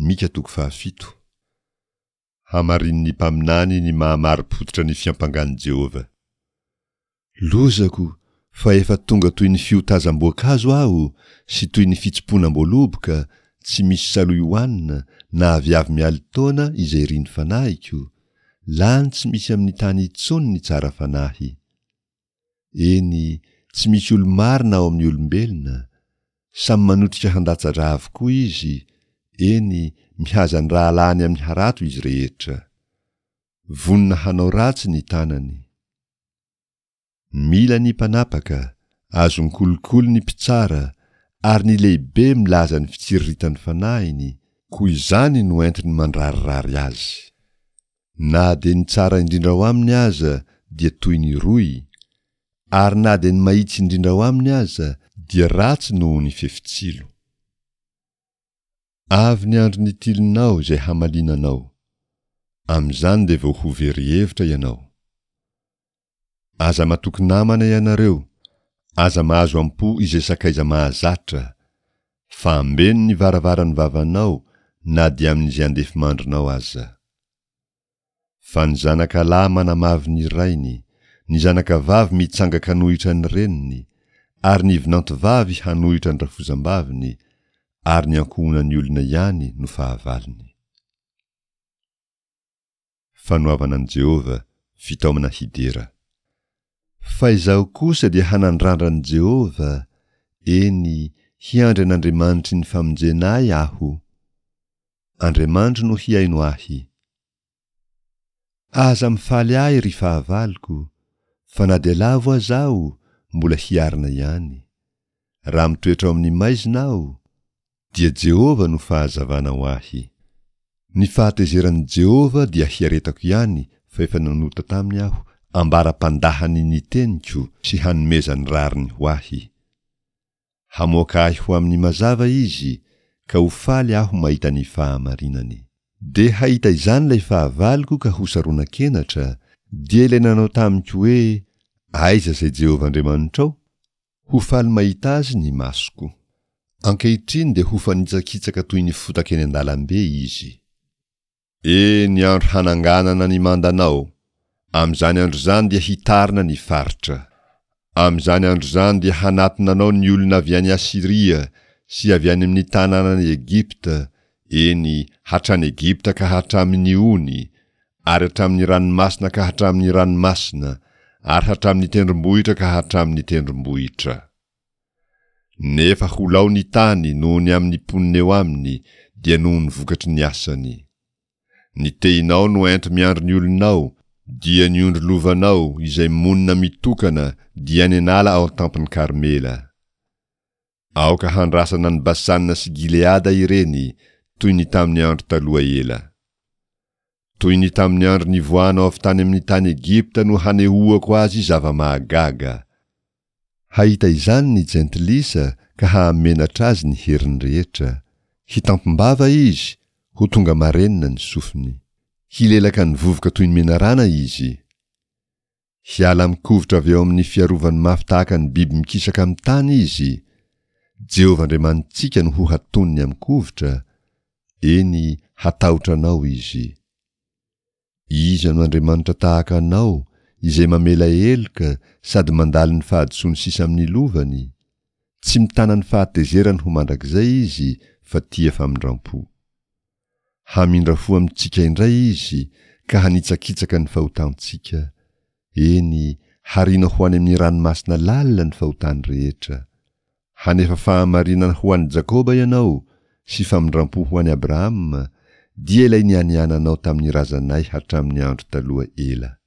Mika toko fahafito. Hamarinin'ny mpaminany ny maha-marim-pototra ny fiampangan'i Jehovah. Lozako, fa efa tonga toy ny fiotazam-boankazo aho, sy toy ny fitsimponam-boaloboka, tsy misy salohy hohanina, na aviavy mialin-taona izay irin'ny fanahiko, lany tsy misy amin'ny tany intsony ny tsara fanahy. Eny, tsy misy olo-marina ao amin'ny olombelona. Samy manotrika handatsa-drà avokoa izy, eny, mihaza ny rahalahiny amin'ny harato izy rehetra. Vonona hanao ratsy ny tanany. Mila ny mpanapaka, azon-kolikoly ny mpitsara, ary ny lehibe milaza ny fitsiriritan'ny fanahiny, koa izany no entiny mandrarirary azy. Na dia ny tsara indrindra ao aminy aza dia toy ny roy, ary na dia ny mahitsy indrindra ao aminy aza dia ratsy noho ny fefitsilo. Avy ny andro nitilinao izay hamaliana anao. Amin'izany dia vao ho very hevitra ianao. Aza matoky namana ianareo, aza mahazo am-po izay sakaiza mahazatra, fa ambeno ny varavaran'ny vavanao na dia amin'izay andefimandrinao aza. Fa ny zanakalahy manamavo ny rainy, ny zanakavavy mitsanga-kanohitra ny reniny, ary ny vinantovavy hanohitra ny rafozambaviny, ary ny ankohonan'ny olona ihany no fahavalony. Fanoavana an'i Jehovah, fitaomana hidera. Fa izaho kosa dia hanandrandra an'i Jehovah, eny, hiandry an'Andriamanitry ny famonjena ahy aho. Andriamanitro no hihaino ahy. Aza mifaly ahy, ry fahavaloko, fa na dia lavo aza aho, mbola hiarina ihany. Raha mitoetra ao amin'ny maizina aho, dia Jehovah no fahazavana ho ahy. Ny fahatezeran'i Jehovah dia hiaretako ihany fa efa nanota taminy aho ambara-pandahany ny teniko sy hanomezany rariny ho ahy. Hamoaka ahy ho amin'ny mazava izy ka ho faly aho mahita ny fahamarinany. Dia hahita izany ilay fahavaloko ka ho saronan-kenatra, dia ilay nanao tamiko hoe, Aiza izay Jehovah Andriamanitrao? Ho faly mahita azy ny masoko. Ankehitriny dia ho fanitsakitsaka toy ny fotaka eny an-dalambe izy. E, ny andro hananganana ny mandanao! Amin'izany andro izany dia hitarina ny faritra. Amin'izany andro izany dia hanatona anao ny olona avy any Asyria sy avy any amin'ny tanànan'i Egypta, eny, hatrany Egypta ka hatramin'ny ony, ary hatramin'ny ranomasina ka hatramin'ny ranomasina, ary hatramin'ny tendrombohitra ka hatramin'ny tendrombohitra. Nefa ho lao ny tany noho ny amin'ny mponina eo aminy, dia noho ny vokatry ny asany. Ny tehinao no ento miandry ny olonao, dia ny ondry lovanao izay monina mitokana dia any an'ala ao an-tampon'i Karmela. Aoka handrasana an'i Basana sy Gileada ireny, toy ny tamin'ny andro taloha ela. Toy ny tamin'ny andro nivoahanao avy tany amin'ny tany Egypta no hanehoako azy zava-mahagaga. Hahita izany ny jentilisa ka hahamenatra azy ny heriny rehetra. Hitampim-bava izy, ho tonga marenina ny sofiny. Hilelaka ny vovoka toy ny menarana izy. Hiala amin-kovitra avy eo amin'ny fiarovany mafy tahaka ny biby mikisaka amin'ny tany izy. Jehovah Andriamanitsika no hohatoniny amin-kovitra, eny, hatahotra anao izy. Iza no Andriamanitra tahaka anao, izay mamela heloka sady mandalo ny fahadisoany sisa amin'ny lovany? Tsy mitana ny fahatezerany ho mandrakizay izy fa tia famindram-po. Hamindra fo amintsika indray Izy ka hanitsakitsaka ny fahotantsika, eny, hariana ho any amin'ny ranomasina lalina ny fahotany rehetra. Hanefa fahamarinana ho an'i Jakoba Ianao sy famindram-po ho an'i Abrahama, dia ilay nianiananao tamin'ny razanay hatramin'ny andro taloha ela.